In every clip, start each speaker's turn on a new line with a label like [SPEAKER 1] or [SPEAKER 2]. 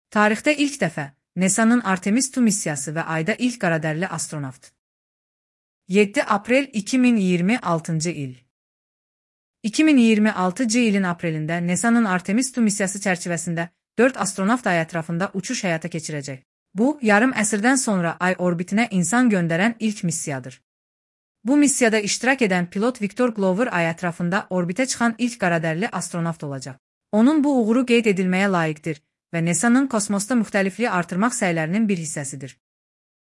[SPEAKER 1] Tarixdə ilk dəfə NASA'nın Artemis II missiyası və ayda ilk qaradərli astronavt. 7 aprel 2026 il. 2026 ilin aprelində NASA'nın Artemis II missiyası çərçivəsində 4 astronavt ay ətrafında uçuş həyata keçirəcək. Bu, yarım əsrdən sonra ay orbitinə insan göndərən ilk missiyadır. Bu missiyada iştirak edən pilot Victor Glover ay ətrafında orbitə çıxan ilk qaradərli astronavt olacaq. Onun bu uğuru qeyd edilməyə layiqdir və NASA'nın kosmosda müxtəlifliyi artırmaq səylərinin bir hissəsidir.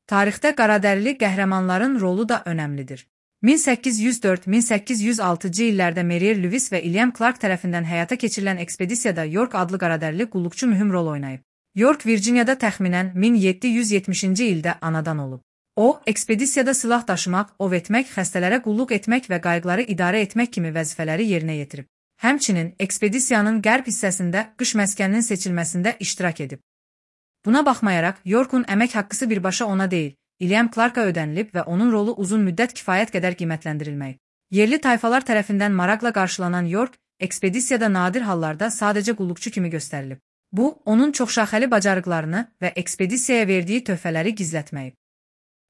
[SPEAKER 1] Tarixdə qaradərli qəhrəmanların rolu da önəmlidir. 1804-1806 illərdə Merier Lewis və William Clark tərəfindən həyata keçirilən ekspedisiyada York adlı qaradərli qulluqçu mühüm rol oynayıb. York Virginiyada təxminən 1770-ci ildə anadan olub. O, ekspedisiyada silah daşımaq, ov etmək, xəstələrə qulluq etmək və qayıqları idarə etmək kimi vəzifələri yerinə yetirib. Həmçinin ekspedisiyanın qərb hissəsində qış məskəninin seçilməsində iştirak edib. Buna baxmayaraq, Yorkun əmək haqqısı birbaşa ona deyil, William Clarka ödənilib və onun rolu uzun müddət kifayət qədər qiymətləndirilməyib. Yerli tayfalar tərəfindən maraqla qarşılanan York, ekspedisiyada nadir hallarda sadəcə qulluqçu kimi göstərilib. Bu, onun çoxşaxəli bacarıqlarını və ekspedisiyaya verdiyi töhfələri gizlətməyib.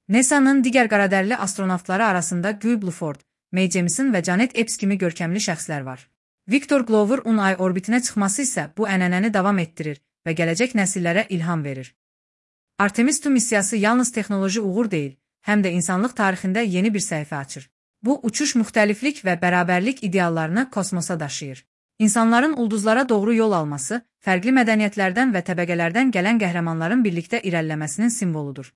[SPEAKER 1] NASA'nın digər qaradərli astronavtları arasında Guy Bluford, Mae Jemison və Janet Epps kimi görkəmli şəxslər var. Victor Glover-un ay orbitinə çıxması isə bu ənənəni davam etdirir və gələcək nəsillərə ilham verir. Artemis II missiyası yalnız texnoloji uğur deyil, həm də insanlıq tarixində yeni bir səhifə açır. Bu, uçuş müxtəliflik və bərabərlik ideallarını kosmosa daşıyır. İnsanların ulduzlara doğru yol alması, fərqli mədəniyyətlərdən və təbəqələrdən gələn qəhrəmanların birlikdə irəliləməsinin simvoludur.